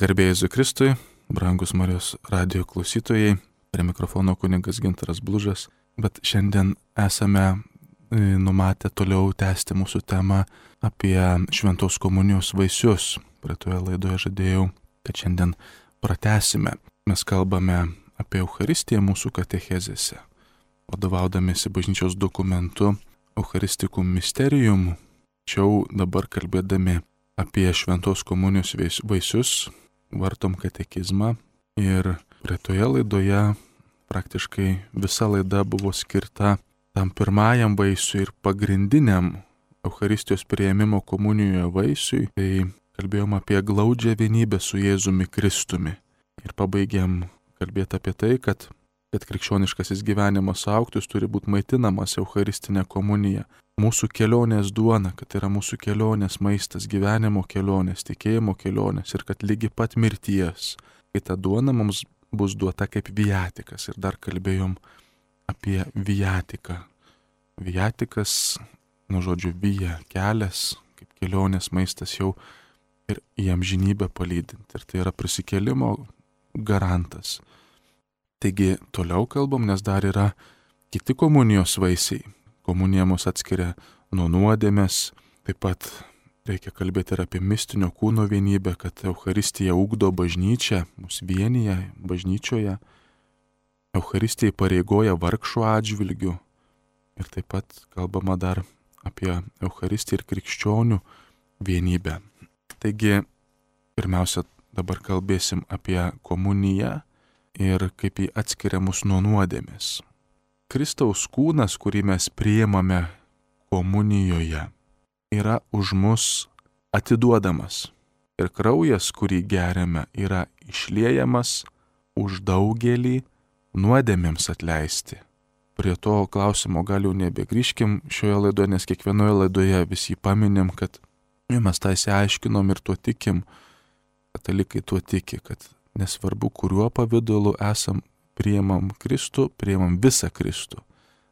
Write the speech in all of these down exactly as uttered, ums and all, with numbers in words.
Garbė Jėzui Kristui, brangus Marijos radijo klausytojai, prie mikrofono kunigas Gintaras Blužas, bet šiandien esame numatę toliau tęsti mūsų temą apie šventos komunijos vaisius. Praeitoje laidoje žadėjau, kad šiandien pratęsime. Mes kalbame apie Eucharistiją mūsų katechezėse, vadovaudamiesi bažnyčios dokumentu Eucharisticum Mysterium. Tačiau dabar kalbėdami apie šventos komunijos vaisius, vartom katekizmą ir praeitoje laidoje praktiškai visa laida buvo skirta tam pirmajam vaisiui ir pagrindiniam Eucharistijos priėmimo komunijoje vaisiui. Tai kalbėjom apie glaudžią vienybę su Jėzumi Kristumi ir pabaigėm kalbėti apie tai, kad, kad krikščioniškasis gyvenimas augtų, jis turi būti maitinamas Eucharistinė komunija. Mūsų kelionės duona, kad yra mūsų kelionės maistas, gyvenimo kelionės, tikėjimo kelionės ir kad lygi pat mirties, kai ta duona mums bus duota kaip viatikas. Ir dar kalbėjom apie viatiką. Viatikas, nu žodžiu, vija, kelias, kaip kelionės maistas jau ir į amžinybę palydinti. Ir tai yra prisikėlimo garantas. Taigi toliau kalbam, nes dar yra kiti komunijos vaisiai. Komunija mus atskiria nuo nuodėmės, taip pat reikia kalbėti ir apie mistinio kūno vienybę, kad Eucharistija ugdo bažnyčią, mus vienyje bažnyčioje. Eucharistija įpareigoja vargšų atžvilgių ir taip pat kalbama dar apie Eucharistiją ir krikščionių vienybę. Taigi, pirmiausia, dabar kalbėsim apie komuniją ir kaip jį atskiria mus nuo nuodėmės. Kristaus kūnas, kurį mes priimame komunijoje, yra už mus atiduodamas. Ir kraujas, kurį geriame, yra išliejamas už daugelį nuodėmėms atleisti. Prie to klausimo gal jau nebegrįžkim šioje laidoje, nes kiekvienoje laidoje visi paminim, kad mes tą įsiaiškinom ir tuo tikim. Katalikai tuo tiki, kad nesvarbu, kuriuo pavidalu esam, priimam Kristų, priimam visą Kristų.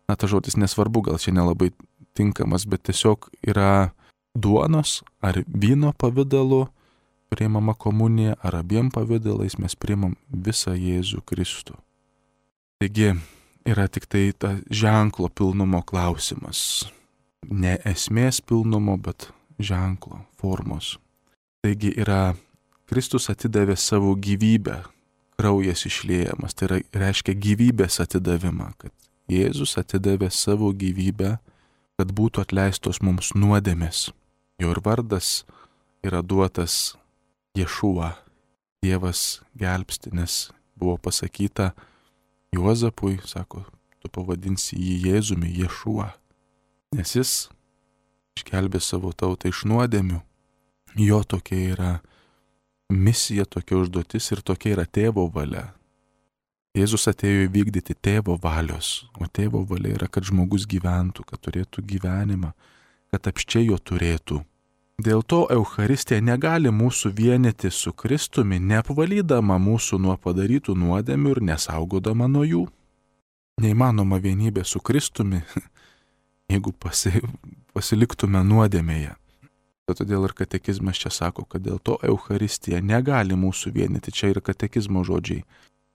Na, ta žodis nesvarbu, gal čia nelabai tinkamas, bet tiesiog yra duonos ar vyno pavidalu priimama komunija, ar abiem pavidalais mes priimam visą Jėzų Kristų. Taigi yra tik tai ta ženklo pilnumo klausimas. Ne esmės pilnumo, bet ženklo formos. Taigi yra Kristus atidavė savo gyvybę, kraujas išliejamas, tai yra, reiškia gyvybės atidavimą, kad Jėzus atidavė savo gyvybę, kad būtų atleistos mums nuodėmės. Jo ir vardas yra duotas Ješua, Dievas gelbsti, nes buvo pasakyta Juozapui, sako, tu pavadinsi jį Jėzumi, Ješua, nes jis išgelbė savo tautą iš nuodėmių. Jo tokia yra misija, tokia užduotis ir tokia yra tėvo valia. Jėzus atėjo įvykdyti tėvo valios, o tėvo valia yra, kad žmogus gyventų, kad turėtų gyvenimą, kad apsčiai jo turėtų. Dėl to Eucharistija negali mūsų vienyti su Kristumi, neapvalydama mūsų nuo padarytų nuodėmių ir nesaugodama nuo jų. Neįmanoma vienybė su Kristumi, jeigu pasi, pasiliktume nuodėmėje. Todėl ir katekizmas čia sako, kad dėl to Eucharistija negali mūsų vienyti. Čia ir katekizmo žodžiai.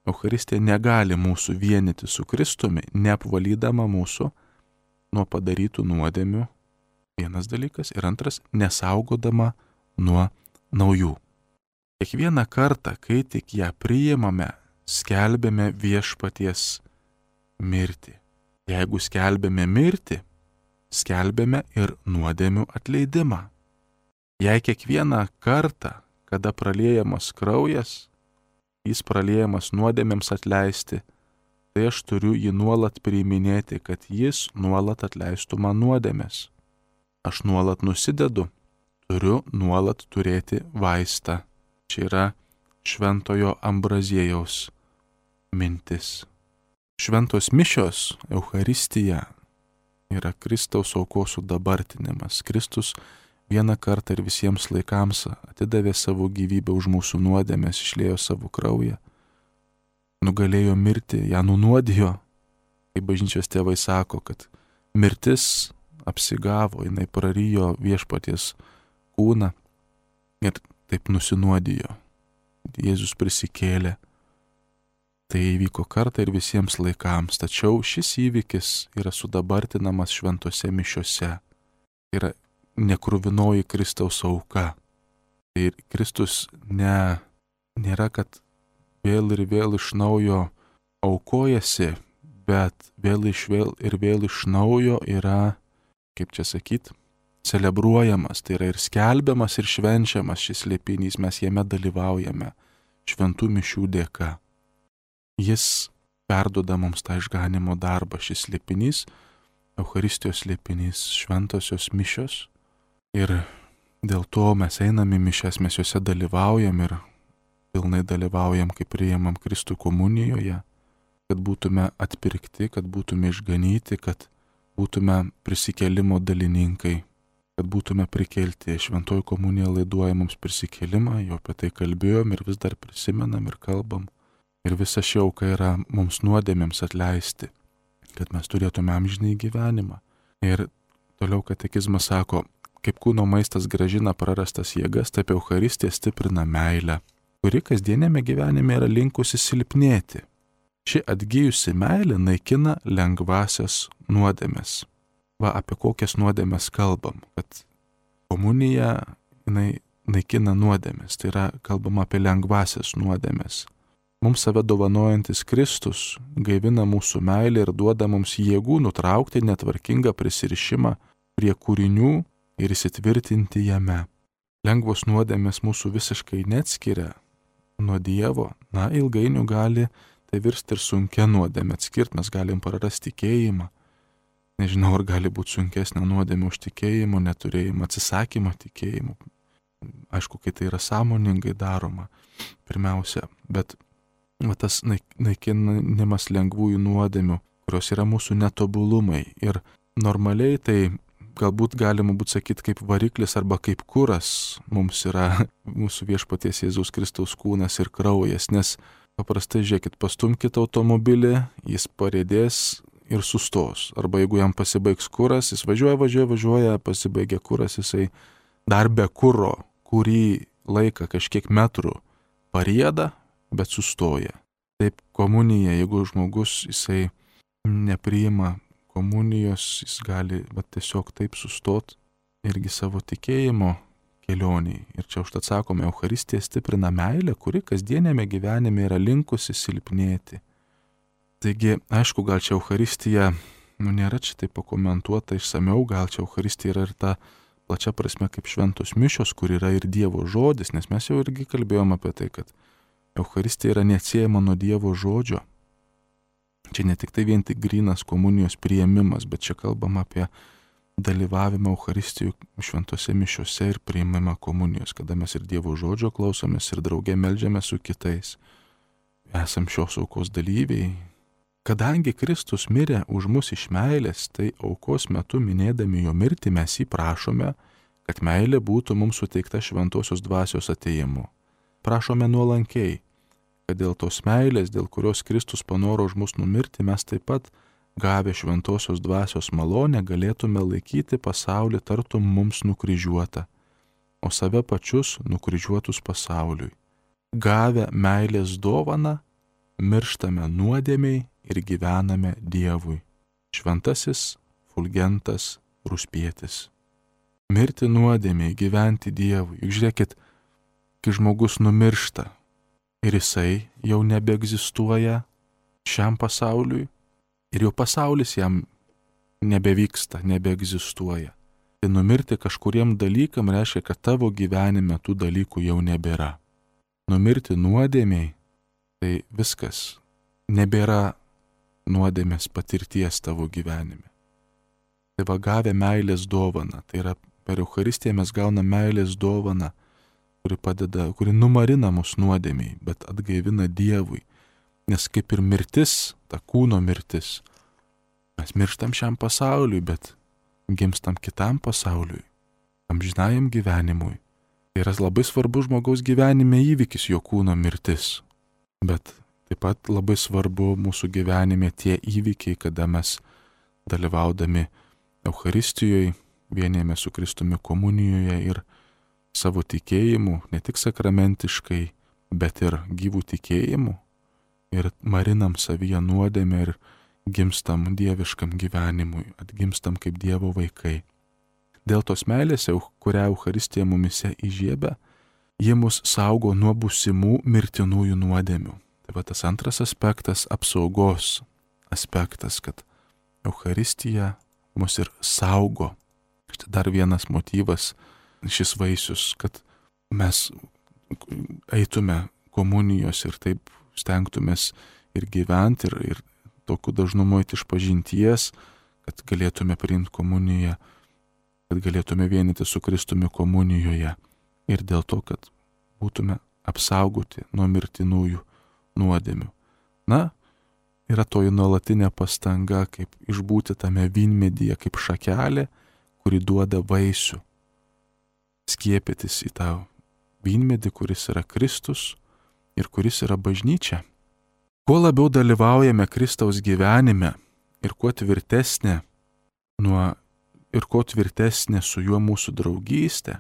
Eucharistija negali mūsų vienyti su Kristumi, neapvalydama mūsų nuo padarytų nuodėmių. Vienas dalykas. Ir antras, nesaugodama nuo naujų. Kiekvieną kartą, kai tik ją priimame, skelbėme viešpaties mirtį. Jeigu skelbėme mirtį, skelbėme ir nuodėmių atleidimą. Jei kiekvieną kartą, kada praliejamas kraujas, jis praliejamas nuodėmėms atleisti, tai aš turiu jį nuolat priiminėti, kad jis nuolat atleistų man nuodėmės. Aš nuolat nusidedu, turiu nuolat turėti vaistą. Čia yra šventojo Ambraziejaus mintis. Šventos mišios, Eucharistija, yra Kristaus aukos sudabartinimas. Kristus vieną kartą ir visiems laikams atidavė savo gyvybę už mūsų nuodėmės, išliejo savo kraują, nugalėjo mirtį, ją nunuodijo, kaip bažnyčios tėvai sako, kad mirtis apsigavo, jinai prarijo viešpaties kūną ir taip nusinuodijo. kad Jėzus prisikėlė. Tai įvyko kartą ir visiems laikams, tačiau šis įvykis yra sudabartinamas šventose mišiose. Tai yra nekruvinoji Kristaus auka. Tai Kristus ne, nėra, kad vėl ir vėl iš naujo aukojasi, bet vėl iš vėl ir vėl iš naujo yra, kaip čia sakyt, celebruojamas, tai yra ir skelbiamas, ir švenčiamas šis slėpinys, mes jame dalyvaujame šventų mišių dėka. Jis perduoda mums tą išganimo darbą, šis slėpinys, Eucharistijos slėpinys, šventosios mišios. Ir dėl to mes einame į mišias, mes juose dalyvaujam ir pilnai dalyvaujam, kai priimam Kristų komunijoje, kad būtume atpirkti, kad būtume išganyti, kad būtume prisikėlimo dalininkai, kad būtume prikelti. Šventoji komunija laiduoja mums prisikėlimą, jau apie tai kalbėjom ir vis dar prisimenam ir kalbam. Ir visa ši auka yra mums nuodėmėms atleisti, kad mes turėtume amžinąjį gyvenimą. Ir toliau katekizmas sako, kaip kūno maistas grąžina prarastas jėgas, taip Eucharistija stiprina meilę, kuri kasdienėme gyvenime yra linkusi silpnėti. Ši atgyjusi meilė naikina lengvasias nuodėmes. Va, apie kokias nuodėmes kalbam, kad komunija jinai naikina nuodėmes, tai yra kalbama apie lengvasias nuodėmes. Mums save dovanojantis Kristus gaivina mūsų meilę ir duoda mums jėgų nutraukti netvarkingą prisirišimą prie kūrinių ir įsitvirtinti jame. Lengvos nuodėmės mūsų visiškai neatskiria nuo Dievo, na, ilgainiui gali tai virsti ir sunkia nuodėmė. Atskirt mes galim prarasti tikėjimą. Nežinau, ar gali būti sunkesnė nuodėmė už tikėjimo neturėjimą, atsisakymą tikėjimo. Aišku, kai tai yra sąmoningai daroma, pirmiausia, bet va, tas naikinimas lengvųjų nuodėmių, kurios yra mūsų netobulumai. Ir normaliai tai galbūt galima būtų sakyti kaip variklis arba kaip kuras mums yra mūsų viešpaties Jėzaus Kristaus kūnas ir kraujas, nes paprastai žiūrėkit, pastumkite automobilį, jis parėdės ir sustos. Arba jeigu jam pasibaigs kuras, jis važiuoja, važiuoja, važiuoja, pasibaigia kuras, jisai dar be kuro, kurį laiką kažkiek metrų parieda, bet sustoja. Taip komunija, jeigu žmogus jisai nepriima komunijos, jis gali bet tiesiog taip sustot irgi savo tikėjimo kelioniai. Ir čia užtat sakome, Eucharistija stiprina meilę, kuri kasdienėme gyvenime yra linkusi silpnėti. Taigi, aišku, gal čia Eucharistija, nu nėra čia taip pakomentuota išsamiau, gal čia Eucharistija yra ir ta plačia prasme kaip šventos mišios, kur yra ir Dievo žodis, nes mes jau irgi kalbėjom apie tai, kad Eucharistija yra neatsiejama nuo Dievo žodžio. Čia ne tik tai vien tik grynas komunijos priėmimas, bet čia kalbam apie dalyvavimą Eucharistijų šventose mišiose ir priėmimą komunijos, kada mes ir Dievo žodžio klausomės ir drauge meldžiamės su kitais. Esam šios aukos dalyviai. Kadangi Kristus mirė už mus iš meilės, tai aukos metu minėdami jo mirtį mes jį prašome, kad meilė būtų mums suteikta šventosios dvasios atėjimu. Prašome nuolankiai, kad dėl tos meilės, dėl kurios Kristus panoro už mus numirti, mes taip pat, gavę šventosios dvasios malonę, galėtume laikyti pasaulį tartum mums nukryžiuotą, o save pačius nukryžiuotus pasauliui. Gavę meilės dovaną, mirštame nuodėmiai ir gyvename Dievui. Šventasis Fulgentas Ruspietis. Mirti nuodėmiai, gyventi Dievui. Juk žiūrėkit, kai žmogus numiršta ir jisai jau nebeegzistuoja šiam pasauliui ir jau pasaulis jam nebevyksta, nebeegzistuoja. Tai numirti kažkuriem dalykam reiškia, kad tavo gyvenime tų dalykų jau nebėra. Numirti nuodėmiai, tai viskas, nebėra nuodėmės patirties tavo gyvenime. Tai va gavę meilės dovaną, tai yra per Eucharistiją mes gauname meilės dovaną, kuri padeda, kuri numarina mus nuodėmiai, bet atgaivina Dievui. Nes kaip ir mirtis, ta kūno mirtis, mes mirštam šiam pasauliui, bet gimstam kitam pasauliui, amžinajam gyvenimui. Tai yra labai svarbus žmogaus gyvenime įvykis jo kūno mirtis. Bet taip pat labai svarbu mūsų gyvenime tie įvykiai, kada mes dalyvaudami Eucharistijoje, vienijame su Kristumi komunijoje ir savo tikėjimu, ne tik sakramentiškai, bet ir gyvų tikėjimų ir marinam savyje nuodėmę ir gimstam dieviškam gyvenimui, atgimstam kaip Dievo vaikai. Dėl tos meilės, kurią Eucharistija mumise įžiebia, ji mus saugo nuo būsimų mirtinųjų nuodėmių. Tai va tas antras aspektas, apsaugos aspektas, kad Eucharistija mus ir saugo. Štai dar vienas motyvas, šis vaisius, kad mes eitume komunijos ir taip stengtumės ir gyventi, ir, ir tokiu dažnumu eiti iš pažinties, kad galėtume priimti komuniją, kad galėtume vienyti su Kristumi komunijoje. Ir dėl to, kad būtume apsaugoti nuo mirtinųjų nuodėmių. Na, yra toji nuolatinė pastanga, kaip išbūti tame vynmedyje, kaip šakelė, kuri duoda vaisių. Skiepytis į tą vynmedį, kuris yra Kristus ir kuris yra bažnyčia. Kuo labiau dalyvaujame Kristaus gyvenime ir kuo tvirtesnė, nuo, ir kuo tvirtesnė su juo mūsų draugystė,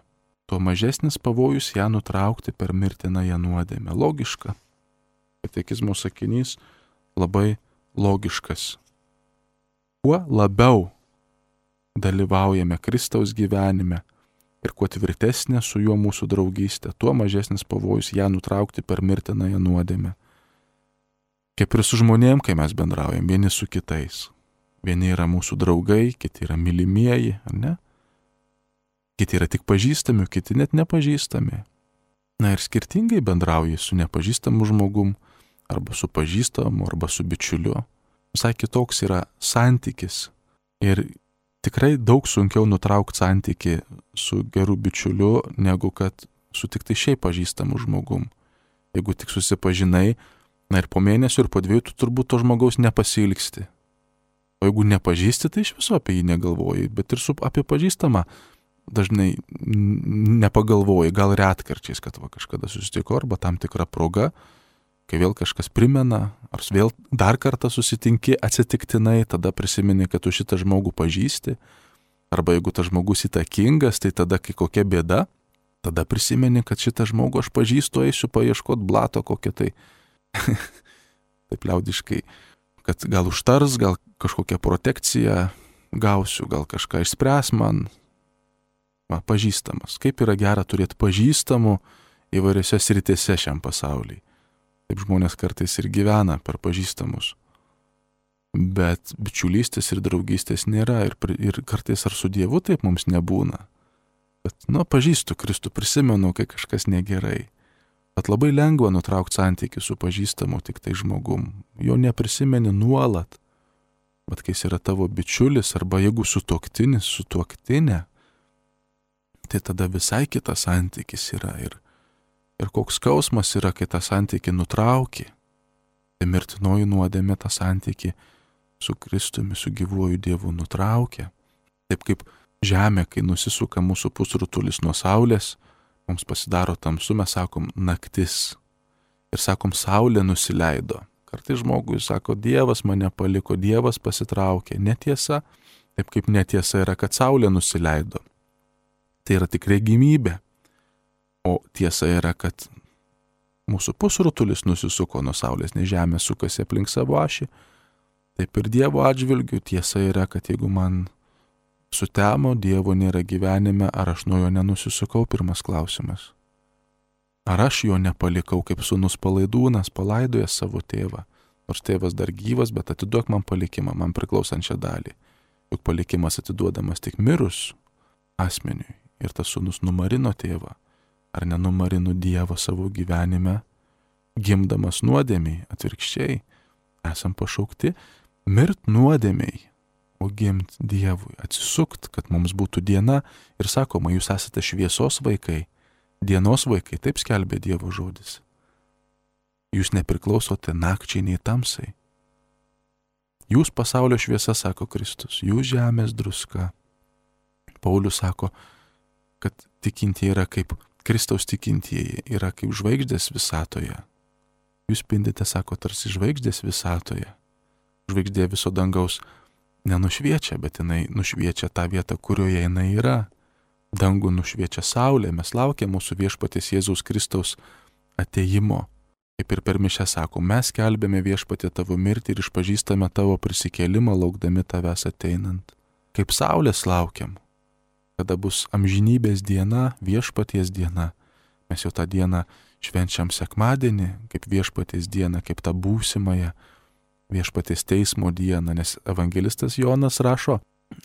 tuo mažesnis pavojus ją nutraukti per mirtinąją nuodėmę. Logiška. Katekizmo sakinys labai logiškas. Kuo labiau dalyvaujame Kristaus gyvenime ir kuo tvirtesnė su juo mūsų draugystė, tuo mažesnis pavojus ją nutraukti per mirtinąją nuodėmę. Kaip ir su žmonėm, kai mes bendraujam vieni su kitais. Vieni yra mūsų draugai, kiti yra mylimieji, ar ne? Kiti yra tik pažįstami, kiti net nepažįstami. Na ir skirtingai bendrauji su nepažįstamu žmogum, arba su pažįstamu, arba su bičiuliu. Visai kitoks yra santykis. Ir tikrai daug sunkiau nutraukti santykį su geru bičiuliu, negu kad su tik tai šiaip pažįstamu žmogum. Jeigu tik susipažinai, na ir po mėnesio ir po dviejų tu turbūt to žmogaus nepasilgsti. O jeigu nepažįsti, tai iš viso apie jį negalvoji, bet ir su, apie pažįstamą dažnai nepagalvoji, gal retkarčiais, kad va kažkada susitiko, arba tam tikra proga, kai vėl kažkas primena, ar vėl dar kartą susitinki atsitiktinai, tada prisimeni, kad tu šitą žmogų pažįsti, arba jeigu tas žmogus įtakingas, tai tada, kai kokia bėda, tada prisimeni, kad šitą žmogų aš pažįstu, eisiu paieškot blato kokią tai, taip liaudiškai, kad gal užtars, gal kažkokią protekciją gausiu, gal kažką išspręs man. Va, pažįstamas. Kaip yra gera turėti pažįstamų įvairiose sritėse šiam pasaulyje. Taip žmonės kartais ir gyvena per pažįstamus. Bet bičiulystės ir draugystės nėra ir, ir kartais ar su Dievu taip mums nebūna. Bet, nu, pažįstu Kristų, prisimenu, kai kažkas negerai. Bet labai lengva nutraukti santykį su pažįstamu tik tai žmogum. Jo neprisimeni nuolat. Bet kai jis yra tavo bičiulis, arba jeigu sutuoktinis, sutuoktinė, tai tada visai kitas santykis yra. Ir, ir koks skausmas yra, kai tą santykį nutrauki. Tai mirtinoji nuodėmė tą santykį su Kristumi, su gyvuoju Dievu nutraukia. Taip kaip žemė, kai nusisuka mūsų pusrutulis nuo saulės, mums pasidaro tamsu, mes sakom naktis. Ir sakom, saulė nusileido. Kartais žmogui sako, Dievas mane paliko, Dievas pasitraukė. Netiesa, taip kaip netiesa yra, kad saulė nusileido. Tai yra tik regimybė. O tiesa yra, kad mūsų pusrutulis nusisuko nuo saulės, nes žemė sukasi aplink savo ašį. Taip ir Dievo atžvilgiu tiesa yra, kad jeigu man sutemo, Dievo nėra gyvenime, ar aš nuo jo nenusisukau, pirmas klausimas. Ar aš jo nepalikau, kaip sūnus palaidūnas palaidoja savo tėvą. Nors tėvas dar gyvas, bet atiduok man palikimą, man priklausančią dalį. Juk palikimas atiduodamas tik mirus asmeniui. Ir tas sūnus numarino tėvą. Ar nenumarino Dievą savo gyvenime, gimdamas nuodėmiai, atvirkščiai. Esam pašaukti mirt nuodėmiai, o gimt Dievui, atsisukt, kad mums būtų diena. Ir sakoma, jūs esate šviesos vaikai, dienos vaikai, taip skelbė Dievo žodis. Jūs nepriklausote nakčiai nei tamsai. Jūs pasaulio šviesa, sako Kristus, jūs žemės druska. Paulius sako, kad tikintieji yra kaip Kristaus tikintieji, yra kaip žvaigždės visatoje. Jūs spindite, sako, tarsi žvaigždės visatoje. Žvaigždė viso dangaus nenušviečia, bet jinai nušviečia tą vietą, kurioje jinai yra. Dangų nušviečia saulė, mes laukiam mūsų viešpaties Jėzaus Kristaus atėjimo. Kaip ir per mišę sako, mes skelbėme Viešpatie tavo mirtį ir išpažįstame tavo prisikėlimą, laukdami tavęs ateinant. Kaip saulės laukiam, kada bus amžinybės diena, Viešpaties diena. Mes jau tą dieną švenčiam sekmadienį, kaip Viešpaties dieną, kaip tą būsimąją Viešpaties teismo dieną, nes evangelistas Jonas rašo,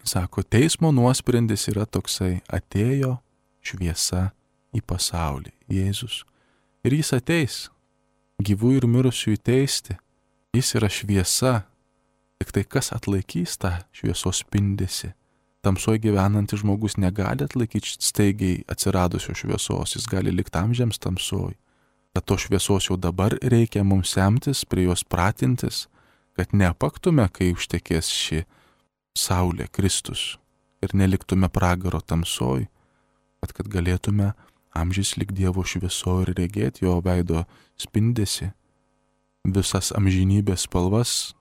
sako, teismo nuosprendis yra toksai, atėjo šviesa į pasaulį, Jėzus. Ir jis ateis gyvų ir mirusiųjų teisti. Jis yra šviesa, tik tai kas atlaikys tą šviesos spindesį. Tamsoje gyvenantis žmogus negali atlaikyti staigiai atsiradusios šviesos, jis gali likti amžiams tamsoje. Kad to šviesos jau dabar reikia mums semtis, prie jos pratintis, kad neapaktume, kai užtekės ši saulė, Kristus, ir neliktume pragaro tamsoje, bet kad galėtume amžiais lik Dievo švieso ir regėti jo veido spindesi, visas amžinybės spalvas,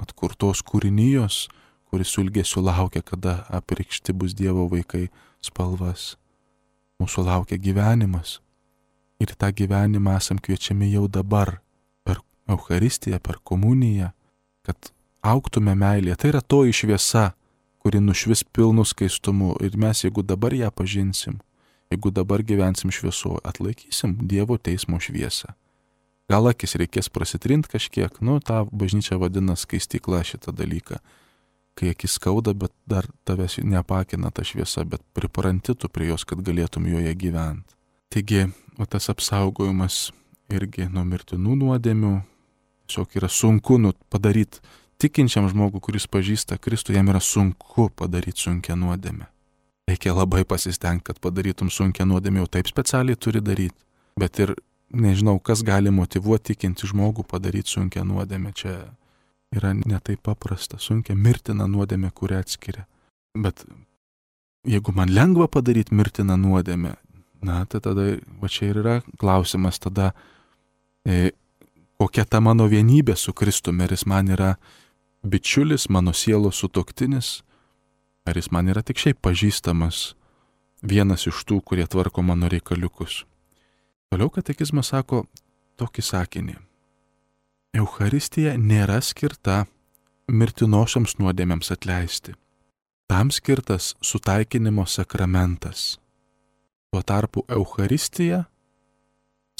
atkurtos kūrinijos, kuris su ilgesiu laukia, kada apreikšti bus Dievo vaikai spalvas. Mūsų laukia gyvenimas. Ir tą gyvenimą esam kviečiami jau dabar, per Eucharistiją, per komuniją, kad augtume meilėje. Tai yra toji šviesa, kuri nušvis pilnu skaistumu. Ir mes, jeigu dabar ją pažinsim, jeigu dabar gyvensim šviesoje, atlaikysim Dievo teismo šviesą. Gal akis reikės prasitrint kažkiek, nu, tą bažnyčia vadina skaistykla šitą dalyką. Kai akis skauda, bet dar tavęs neapakina ta šviesa, bet pripranti tu prie jos, kad galėtum joje gyventi. Taigi, o tas apsaugojimas irgi nuo mirtinų nuodėmių, tiesiog yra sunku nu, padaryti tikinčiam žmogui, kuris pažįsta Kristų, jam yra sunku padaryti sunkią nuodėmę. Reikia labai pasistengti, kad padarytum sunkią nuodėmę, jau taip specialiai turi daryti, bet ir nežinau, kas gali motyvuoti tikinti žmogų padaryti sunkią nuodėmę. Čia yra netaip paprasta, sunkia mirtina nuodėmė, kurią atskiria. Bet jeigu man lengva padaryti mirtiną nuodėmę, na, tai tada, va čia ir yra klausimas tada, e, kokia ta mano vienybė su Kristumi, ar jis man yra bičiulis, mano sielos sutuoktinis, ar jis man yra tik šiaip pažįstamas, vienas iš tų, kurie tvarko mano reikaliukus. Toliau katekizmas sako tokį sakinį. Eucharistija nėra skirta mirtinosioms nuodėmėms atleisti. Tam skirtas sutaikinimo sakramentas. Tuo tarpu Eucharistija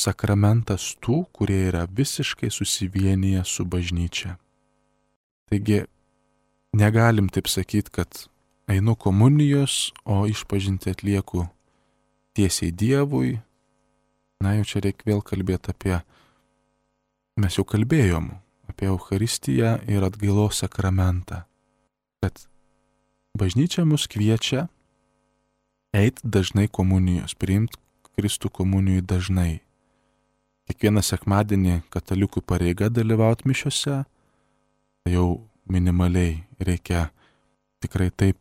sakramentas tų, kurie yra visiškai susivienyje su bažnyčia. Taigi negalim taip sakyti, kad einu komunijos, o išpažinti atlieku tiesiai Dievui. Na, jau čia reikia vėl kalbėti apie, mes jau kalbėjom, apie Eucharistiją ir atgailos sakramentą. Kad bažnyčia mus kviečia eiti dažnai komunijos, priimti Kristų komunijai dažnai. Kiekvieną sekmadienį katalikų pareiga dalyvauti mišiose, tai jau minimaliai reikia tikrai taip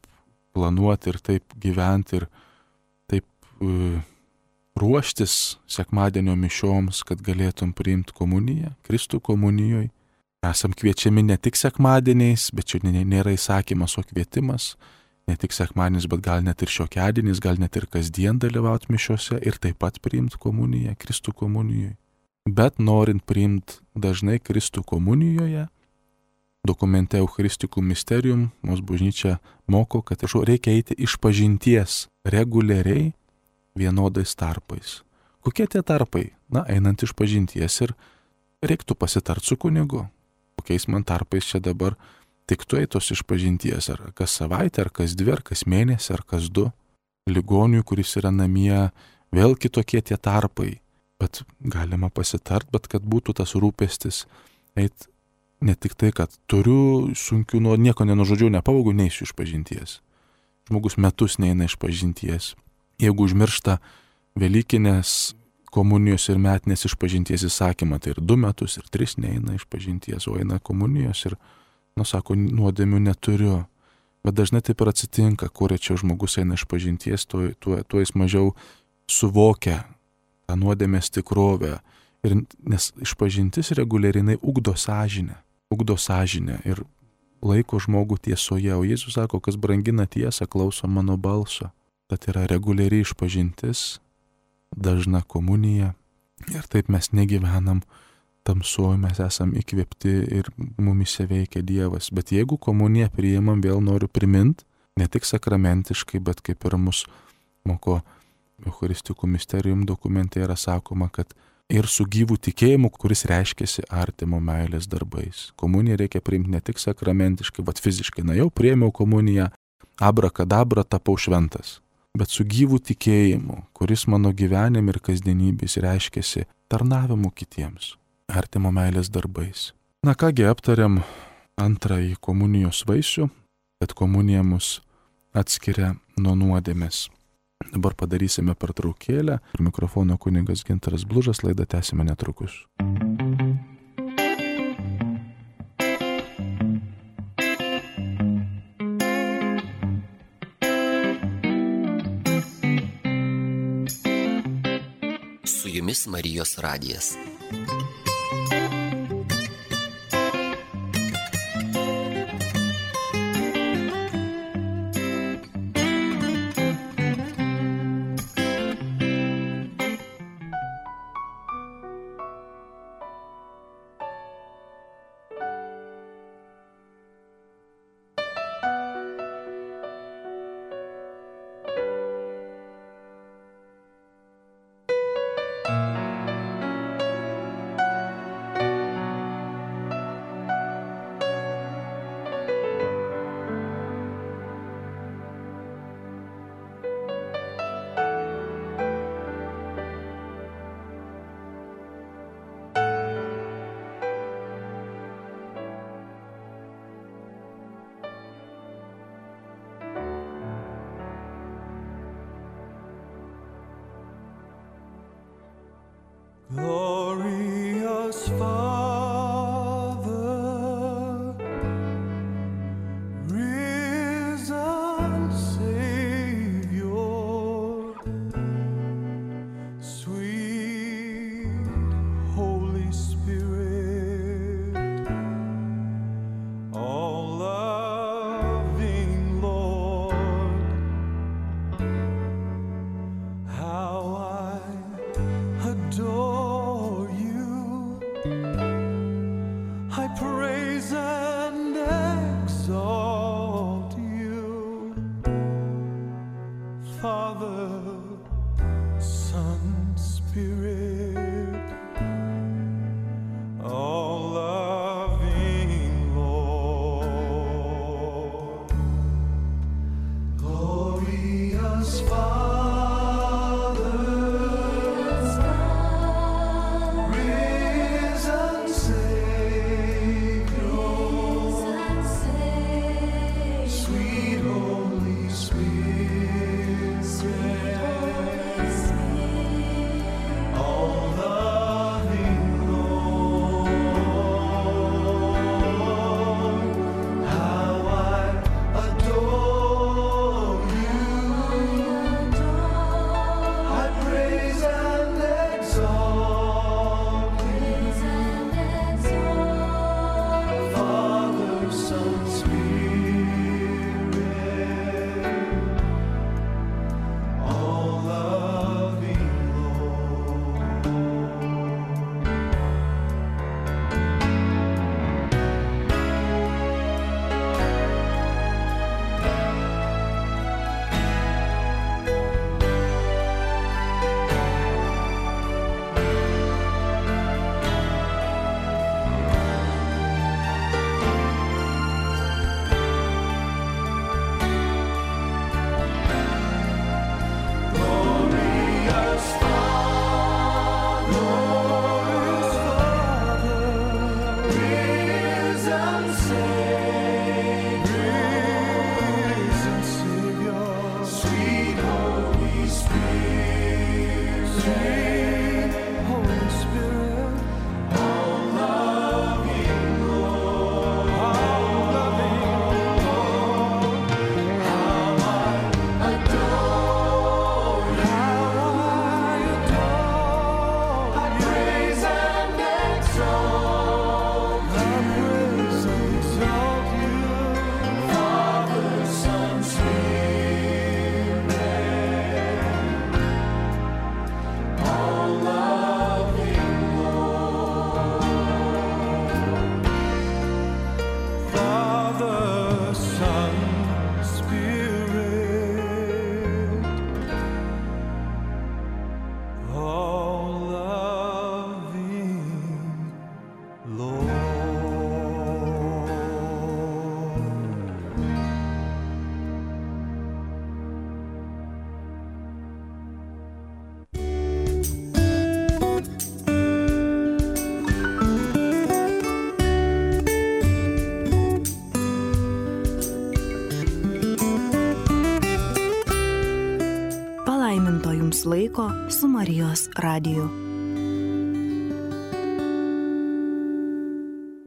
planuoti ir taip gyventi ir taip uh, ruoštis sekmadienio mišioms, kad galėtum priimti komuniją, Kristų komunijoje. Esam kviečiami ne tik sekmadieniais, bet čia nėra įsakymas, o kvietimas. Ne tik sekmadienis, bet gal net ir šiokiadienis, gal net ir kasdien dalyvauti mišiose ir taip pat priimti komuniją, Kristų komunijoje. Bet norint priimti dažnai Kristų komunijoje, dokumente Eucharisticum Mysterium mūsų bažnyčia moko, kad reikia eiti išpažinties reguliariai vienodais tarpais. Kokie tie tarpai? Na, einant išpažinties ir reiktų pasitart su kunigu. Kokiais man tarpais čia dabar tiktų eitos išpažinties, ar kas savaitę, ar kas dvi, ar kas mėnesį, ar kas du. Ligoniui, kuris yra namie, vėl kitokie tie tarpai. Bet galima pasitart, bet kad būtų tas rūpestis eit ne tik tai, kad turiu sunkių, nuo nieko nenužodžiau, nepavogau, neisiu išpažinties. Žmogus metus neina išpažinties. Jeigu užmiršta Velykinės komunijos ir metinės išpažinties įsakymą, tai ir du metus, ir tris neina išpažinties, o eina komunijos ir, nu, sako, nuodėmių neturiu. Bet dažnai taip ir atsitinka, kur čia žmogus eina išpažinties, tuo, tuo, tuo jis mažiau suvokia tą nuodėmės tikrovę. Ir, nes išpažintis reguliariai ugdo sąžinę, ugdo sąžinę ir laiko žmogų tiesoje. O Jėzus sako, kas brangina tiesą, klauso mano balso. Tad yra reguliariai išpažintis, dažna komunija Ir taip mes negyvenam tamsuoju, mes esam įkvėpti ir mumise veikia Dievas. Bet jeigu komuniją priimam, vėl noriu priminti, ne tik sakramentiškai, bet kaip ir mus moko Eucharistikų misterijum dokumente yra sakoma, kad ir su gyvu tikėjimu, kuris reiškiasi artimo meilės darbais. Komuniją reikia priimti ne tik sakramentiškai, bet fiziškai. Na jau priėmiau komuniją, abrakadabra, tapau šventas. Bet su gyvu tikėjimu, kuris mano gyvenime ir kasdienybės reiškiasi tarnavimu kitiems, artimo meilės darbais. Na kągi, aptariam antrąjį komunijos vaisių, kad komunija mus atskiria nuo nuodėmės. Dabar padarysime pertraukėlę. Ir mikrofono kunigas Gintaras Blužas, laidą tęsime netrukus. Su jumis Marijos radijas. Glorious Father, risen Savior, sweet Holy Spirit, all-loving Lord, how I adore you. laiko su Marijos radiju.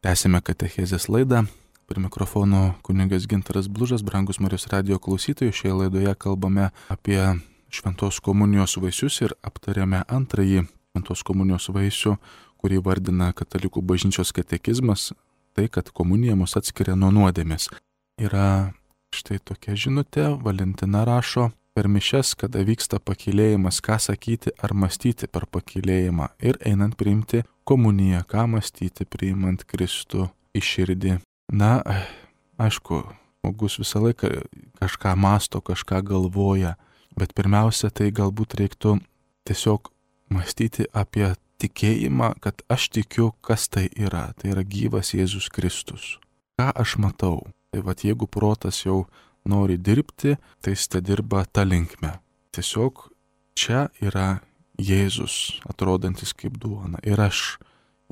Tęsime katechezės laidą. Prie mikrofono kunigas Gintaras Blužas, brangus Marijos radijo klausytojai. Šioje laidoje kalbame apie šventos komunijos vaisius ir aptarėme antrąjį šventos komunijos vaisių, kurį vardina katalikų bažnyčios katekizmas, tai, kad komunija mus atskiria nuo nuodėmės. Yra štai tokia žinutė, Valentina rašo, per mišias, kada vyksta pakylėjimas, ką sakyti ar mąstyti per pakylėjimą ir einant priimti komuniją, ką mąstyti priimant Kristų į širdį. Na, aišku, žmogus visą laiką kažką mąsto, kažką galvoja, bet pirmiausia, tai galbūt reiktų tiesiog mąstyti apie tikėjimą, kad aš tikiu, kas tai yra. Tai yra gyvas Jėzus Kristus. Ką aš matau? Tai vat jeigu protas jau nori dirbti, tai jis te dirba tą linkmę. Tiesiog čia yra Jėzus, atrodantis kaip duona. Ir aš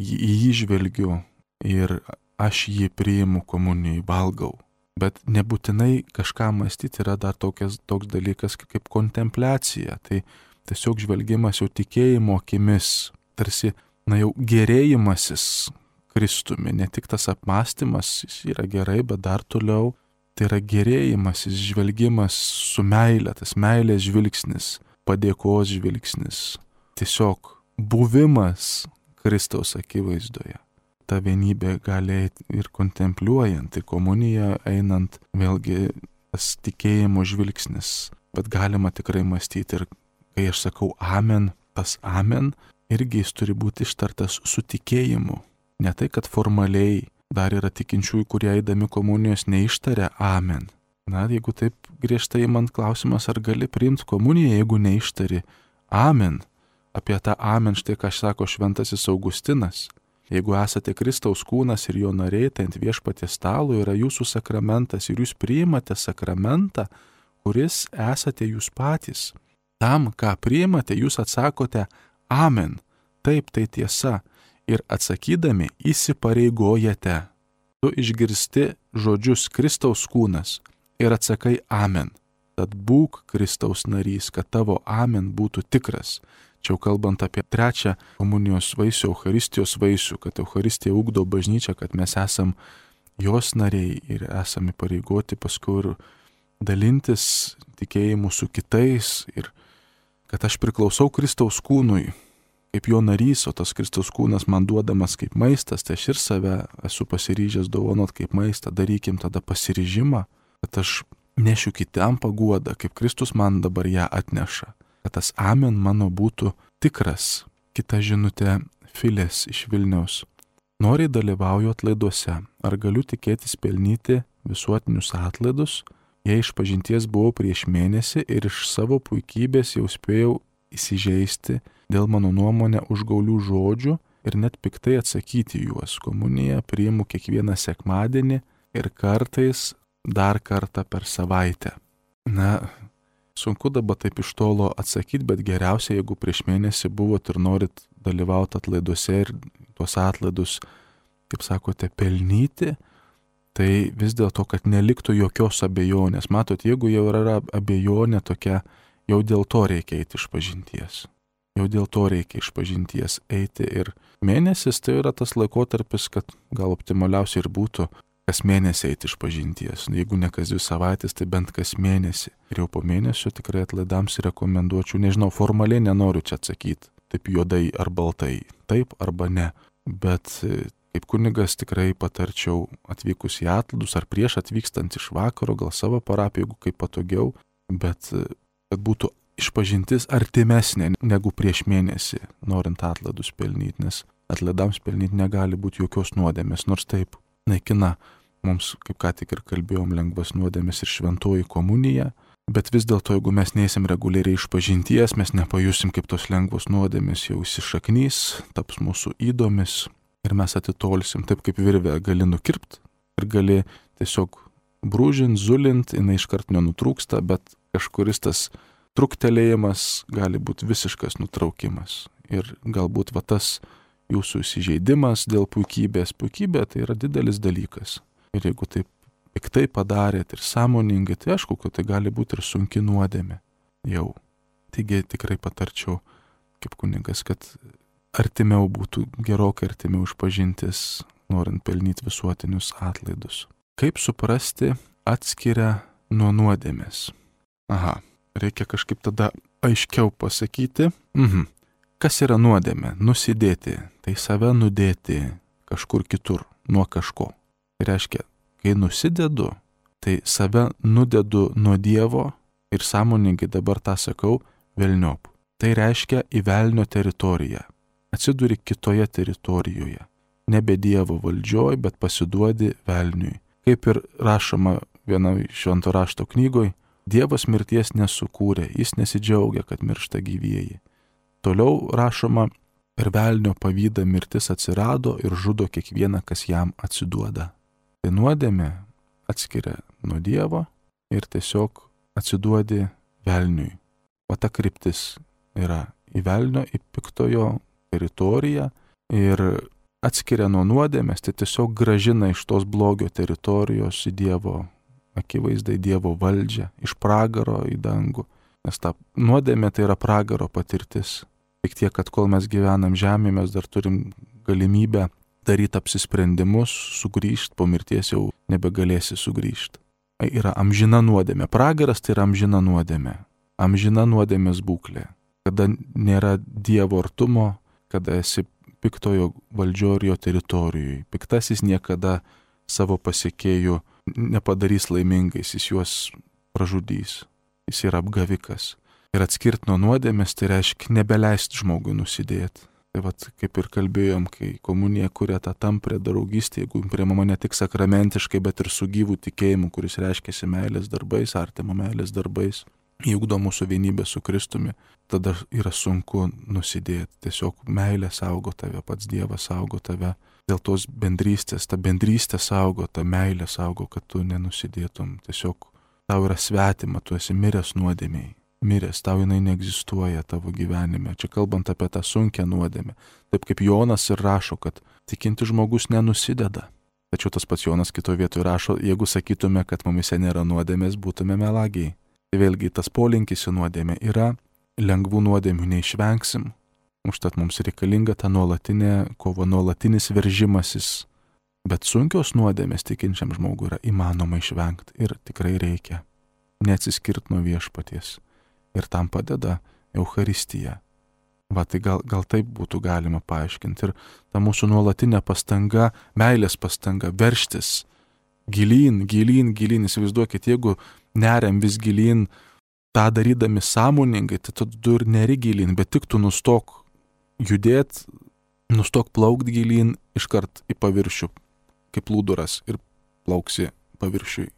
į jį žvelgiu ir aš jį priimu komunijai, valgau. Bet nebūtinai kažką mąstyti yra dar tokias, toks dalykas kaip kontempliacija. Tai tiesiog žvelgimas jau tikėjimo akimis, tarsi, na jau gerėjimasis Kristumi, ne tik tas apmąstymas, jis yra gerai, bet dar toliau tai yra gerėjimasis, žvelgimas su meile, tas meilės žvilgsnis, padėkos žvilgsnis, tiesiog buvimas Kristaus akivaizdoje. Ta vienybė gali ir kontempliuojant, į komuniją einant, vėlgi tas tikėjimo žvilgsnis, bet galima tikrai mąstyti ir kai aš sakau amen, tas amen irgi jis turi būti ištartas su tikėjimu. Ne tai, kad formaliai dar yra tikinčiųjų, kurie eidami komunijos neištaria amen. Na, jeigu taip griežtai man klausimas, ar gali priimti komuniją, jeigu neištari amen. Apie tą amen štai ką sako šventasis Augustinas. Jeigu esate Kristaus kūnas ir jo nariai, tai ant viešpaties stalo yra jūsų sakramentas ir jūs priimate sakramentą, kuris esate jūs patys. Tam, ką priimate, jūs atsakote amen. Taip, tai tiesa. Ir atsakydami įsipareigojate. Tu išgirsti žodžius Kristaus kūnas ir atsakai amen. Tad būk Kristaus narys, kad tavo amen būtų tikras. Čia jau kalbant apie trečią komunijos vaisių, Eucharistijos vaisių, kad Eucharistija ugdo bažnyčią, kad mes esam jos nariai ir esame pareigoti paskui ir dalintis tikėjimu su kitais ir kad aš priklausau Kristaus kūnui kaip jo narys, o tas Kristaus kūnas man duodamas kaip maistas, tai aš ir save esu pasiryžęs dovanot kaip maistą, darykim tada pasiryžimą, kad aš nešiu kitam paguodą, kaip Kristus man dabar ją atneša, kad tas amen mano būtų tikras. Kita žinutė Filės iš Vilniaus. Noriai dalyvauju atlaiduose, ar galiu tikėtis pelnyti visuotinius atlaidus, jei iš pažinties buvau prieš mėnesį ir iš savo puikybės jau spėjau įsižeisti dėl mano nuomonę užgaulių žodžių ir net piktai atsakyti juos. Komuniją priimu kiekvieną sekmadienį ir kartais dar kartą per savaitę. Na, sunku dabar taip iš tolo atsakyti, bet geriausia, jeigu prieš mėnesį buvot ir norit dalyvauti atlaiduose ir tuos atlaidus, kaip sakote, pelnyti, tai vis dėlto, kad neliktų jokios abejonės. Matot, jeigu jau yra abejonė tokia, jau dėl to reikia eiti iš pažinties. Jau dėl to reikia iš pažinties eiti ir mėnesis tai yra tas laikotarpis, kad gal optimaliausiai ir būtų kas mėnesį eiti iš pažinties. Jeigu ne kas dvi savaitės, tai bent kas mėnesį. Ir jau po mėnesio tikrai atlaidams rekomenduočiau, nežinau, formaliai nenoriu čia atsakyti, taip juodai ar baltai, taip arba ne. Bet kaip kunigas tikrai patarčiau atvykus į atlaidus ar prieš atvykstant iš vakaro, gal savo parapiją, jeigu kaip patogiau, bet kad būtų išpažintis artimesnė negu prieš mėnesį, norint atlaidus pelnyti, nes atlaidams pelnyti negali būti jokios nuodėmės, nors taip naikina mums, kaip ką tik ir kalbėjom, lengvas nuodėmės ir šventoji komunija, bet vis dėlto, jeigu mes neįsim reguliariai išpažinties, mes nepajusim, kaip tos lengvos nuodėmės jau įsišaknys, taps mūsų įdomis ir mes atitolsim, taip kaip virvę gali nukirpt ir gali tiesiog brūžint, zulint, jinai iškart nenutrūksta, bet kažkuris tas truktelėjimas gali būti visiškas nutraukimas. Ir galbūt va tas jūsų įsižeidimas dėl puikybės. Puikybė tai yra didelis dalykas. Ir jeigu taip piktai padarėt ir sąmoningai, tai aišku, kad tai gali būti ir sunki nuodėmė. Jau. Taigi tikrai patarčiau kaip kunigas, kad artimiau būtų, gerokai artimiau išpažintis, norint pelnyti visuotinius atlaidus. Kaip suprasti atskiria nuo nuodėmės? Aha, reikia kažkaip tada aiškiau pasakyti. Mhm. Kas yra nuodėmė? Nusidėti, tai save nudėti kažkur kitur, nuo kažko. Tai reiškia, kai nusidedu, tai save nudedu nuo Dievo ir sąmoningai dabar tą sakau, velniop. Tai reiškia į velnio teritoriją. Atsiduri kitoje teritorijoje. Nebe Dievo valdžioj, bet pasiduodi velniui. Kaip ir rašoma vienoje švento rašto knygoj, Dievas mirties nesukūrė, jis nesidžiaugia, kad miršta gyvieji. Toliau rašoma, per velnio pavydą mirtis atsirado ir žudo kiekvieną, kas jam atsiduoda. Tai nuodėmė atskiria nuo Dievo ir tiesiog atsiduodi velniui. O ta kryptis yra į velnio, į piktojo teritoriją ir atskiria nuo nuodėmės, tai tiesiog gražina iš tos blogio teritorijos į Dievo akivaizdai, Dievo valdžią, iš pragaro į dangų. Nes ta nuodėmė tai yra pragaro patirtis. Tik tiek, kad kol mes gyvenam žemėje, mes dar turim galimybę daryti apsisprendimus, sugrįžti, po mirties jau nebegalėsi sugrįžti. Tai yra amžina nuodėmė. Pragaras tai yra amžina nuodėmė. Amžina nuodėmės būklė. Kada nėra Dievo artumo, kada esi piktojo valdžio ir jo teritorijoje. Piktasis niekada savo pasiekėjų nepadarys laimingais, jis juos pražudys. Jis yra apgavikas. Ir atskirti nuo nuodėmės tai reiškia nebeleisti žmogui nusidėti. Tai vat, kaip ir kalbėjom, kai komunija kuria tą tamprę draugystę, jeigu priimama ne tik sakramentiškai, bet ir su gyvų tikėjimu, kuris reiškiasi meilės darbais, artimo meilės darbais, įugdo mūsų vienybę su Kristumi, tada yra sunku nusidėti. Tiesiog meilė saugo tave, pats Dievas saugo tave. Dėl tos bendrystės, ta bendrystė saugo, ta meilė saugo, kad tu nenusidėtum. Tiesiog tau yra svetima, tu esi miręs nuodėmėj. Miręs, tau jinai neegzistuoja tavo gyvenime. Čia kalbant apie tą sunkią nuodėmę. Taip kaip Jonas ir rašo, kad tikinti žmogus nenusideda. Tačiau tas pats Jonas kitoje vietoje rašo, jeigu sakytume, kad mumise nėra nuodėmės, būtume melagiai. Tai vėlgi tas polinkis į nuodėmę yra, lengvų nuodėmių neišvengsim. Užtat mums reikalinga ta nuolatinė kova, nuolatinis veržimasis. Bet sunkios nuodėmės tikinčiam žmogui yra įmanoma išvengti ir tikrai reikia neatsiskirti nuo viešpaties. Ir tam padeda Eucharistija. Va, tai gal, gal taip būtų galima paaiškinti. Ir ta mūsų nuolatinė pastanga, meilės pastanga, verštis gilyn, gilyn, gilyn. Įsivaizduokit, jeigu neriam vis gilyn, tą darydami sąmoningai, tai tu ir neri gilyn, bet tik tu nustok judėt, nustok plaukt gilyn, iškart į paviršių, kaip plūduras ir plauksi paviršiui.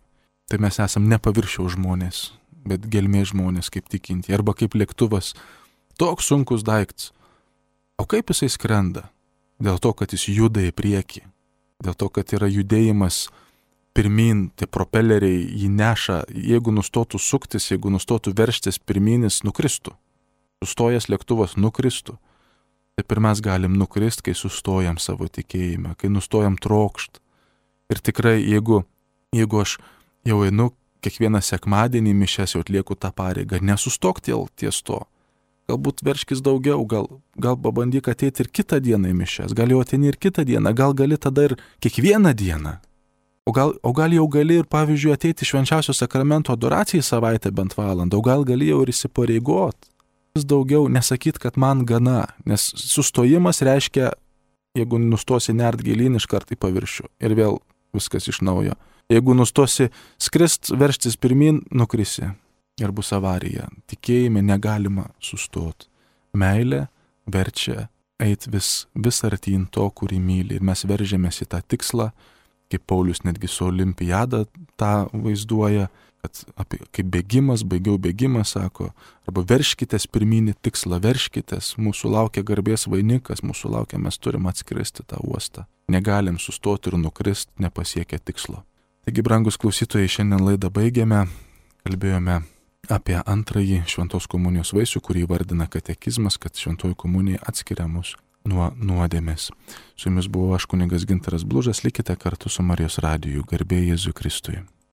Tai mes esam ne paviršiaus žmonės, bet gelmė žmonės, kaip tikinti, arba kaip lėktuvas. Toks sunkus daiktas. O kaip jisai skrenda? Dėl to, kad jis juda į priekį. Dėl to, kad yra judėjimas pirmin, tie propeleriai jį neša. Jeigu nustotų suktis, jeigu nustotų verštis pirminis, nukristų. Sustojęs lėktuvas nukristų. Taip ir mes galim nukrist, kai sustojam savo tikėjime, kai nustojam trokšt. Ir tikrai, jeigu, jeigu aš jau einu kiekvieną sekmadienį mišias, jau atlieku tą pareigą, nesustok ties to. Galbūt verškis daugiau, gal, gal pabandyk ateiti ir kitą dieną į mišias, gal jau ateini ir kitą dieną, gal gali tada ir kiekvieną dieną. O gal, o gal jau gali ir, pavyzdžiui, ateiti švenčiausio sakramento adoracijai savaitę bent valandą, o gal gali jau ir įsipareigot. Vis daugiau nesakyt, kad man gana, nes sustojimas reiškia, jeigu nustosi nert gilyn, iškart į paviršių ir vėl viskas iš naujo. Jeigu nustosi skrist, verštis pirmin, nukrisi ir bus avarija. Tikėjime negalima sustot. Meilė verčia eit vis, vis artyn to, kurį myli. Ir mes veržėmės į tą tikslą, kaip Paulius netgi su olimpiada tą vaizduoja, kad apie, kaip bėgimas, baigiau bėgimą, sako, arba verškitės pirminį tikslą, verškitės, mūsų laukia garbės vainikas, mūsų laukia, mes turim atskristi tą uostą. Negalim sustoti ir nukrist, nepasiekę tikslo. Taigi, brangus klausytojai, šiandien laidą baigėme, kalbėjome apie antrąjį šventos komunijos vaisių, kurį vardina katekizmas, kad šventoji komunija atskiria mus nuo nuodėmės. Su jumis buvau aš, kunigas Gintaras Blužas, likite kartu su Marijos radiju, garbė Jėzui Kristui.